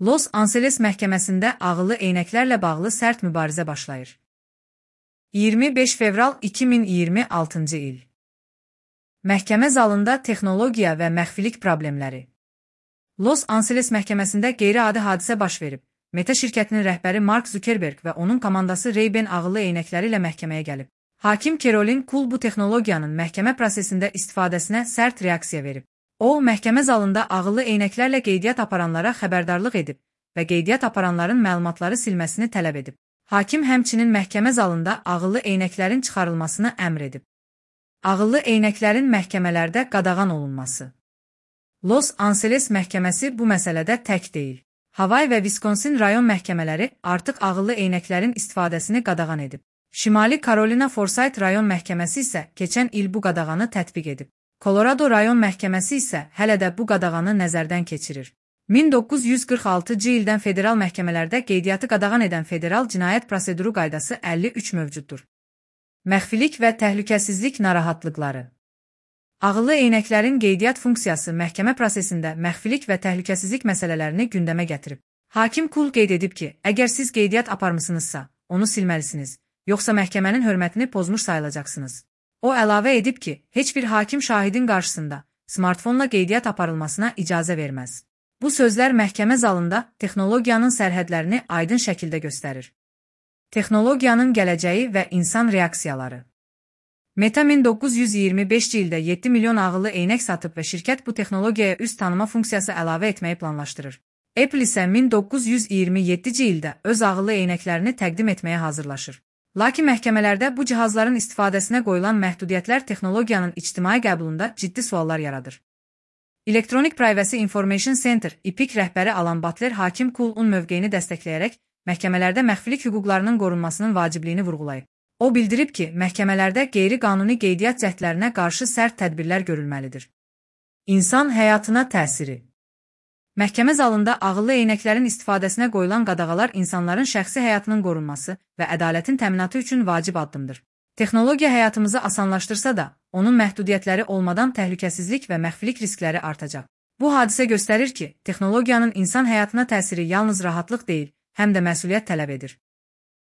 Los Angeles məhkəməsində ağıllı eynəklərlə bağlı sərt mübarizə başlayır. 25 fevral 2026-cı il. Məhkəmə zalında texnologiya və məxfilik problemləri. Los Angeles məhkəməsində qeyri-adi hadisə baş verib. Meta şirkətinin rəhbəri Mark Zuckerberg və onun komandası Ray-Ban ağıllı eynəkləri ilə məhkəməyə gəlib. Hakim Caroline Kuhl bu texnologiyanın məhkəmə prosesində istifadəsinə sərt reaksiya verib. O, məhkəmə zalında ağıllı eynəklərlə qeydiyyat aparanlara xəbərdarlıq edib və qeydiyyat aparanların məlumatları silməsini tələb edib. Hakim həmçinin məhkəmə zalında ağıllı eynəklərin çıxarılmasını əmr edib. Ağıllı eynəklərin məhkəmələrdə qadağan olunması. Los Angeles məhkəməsi bu məsələdə tək deyil. Hawaii və Wisconsin rayon məhkəmələri artıq ağıllı eynəklərin istifadəsini qadağan edib. Şimali Carolina Forsyth rayon məhkəməsi isə keçən il bu qadağanı tətbiq edib. Colorado rayon məhkəməsi isə hələ də bu qadağanı nəzərdən keçirir. 1946-cı ildən federal məhkəmələrdə qeydiyyatı qadağan edən Federal Cinayət Proseduru Qaydası 53 mövcuddur. Məxfilik və təhlükəsizlik narahatlıqları. Ağıllı eynəklərin qeydiyyat funksiyası məhkəmə prosesində məxfilik və təhlükəsizlik məsələlərini gündəmə gətirib. Hakim Kuhl qeyd edib ki, əgər siz qeydiyyat aparmısınızsa, onu silməlisiniz, yoxsa məhkəmənin hörmətini pozmuş sayılacaqsınız. O əlavə edib ki, heç bir hakim şahidin qarşısında smartfonla qeydiyyat aparılmasına icazə verməz. Bu sözlər məhkəmə zalında texnologiyanın sərhədlərini aydın şəkildə göstərir. Texnologiyanın gələcəyi və insan reaksiyaları. Meta 1925-ci ildə 7 milyon ağıllı eynək satıb və şirkət bu texnologiyaya üz tanıma funksiyası əlavə etməyi planlaşdırır. Apple isə 1927-ci ildə öz ağıllı eynəklərini təqdim etməyə hazırlaşır. Lakin məhkəmələrdə bu cihazların istifadəsinə qoyulan məhdudiyyətlər texnologiyanın ictimai qəbulunda ciddi suallar yaradır. Electronic Privacy Information Center (EPIC) rəhbəri Alan Butler hakim Kuhl'un mövqeyini dəstəkləyərək məhkəmələrdə məxfilik hüquqlarının qorunmasının vacibliyini vurğulayıb. O bildirib ki, məhkəmələrdə qeyri-qanuni qeydiyyat cəhdlərinə qarşı sərt tədbirlər görülməlidir. İnsan həyatına təsiri. Məhkəmə zalında ağıllı eynəklərin istifadəsinə qoyulan qadağalar insanların şəxsi həyatının qorunması və ədalətin təminatı üçün vacib addımdır. Texnologiya həyatımızı asanlaşdırsa da, onun məhdudiyyətləri olmadan təhlükəsizlik və məxfilik riskləri artacaq. Bu hadisə göstərir ki, texnologiyanın insan həyatına təsiri yalnız rahatlıq deyil, həm də məsuliyyət tələb edir.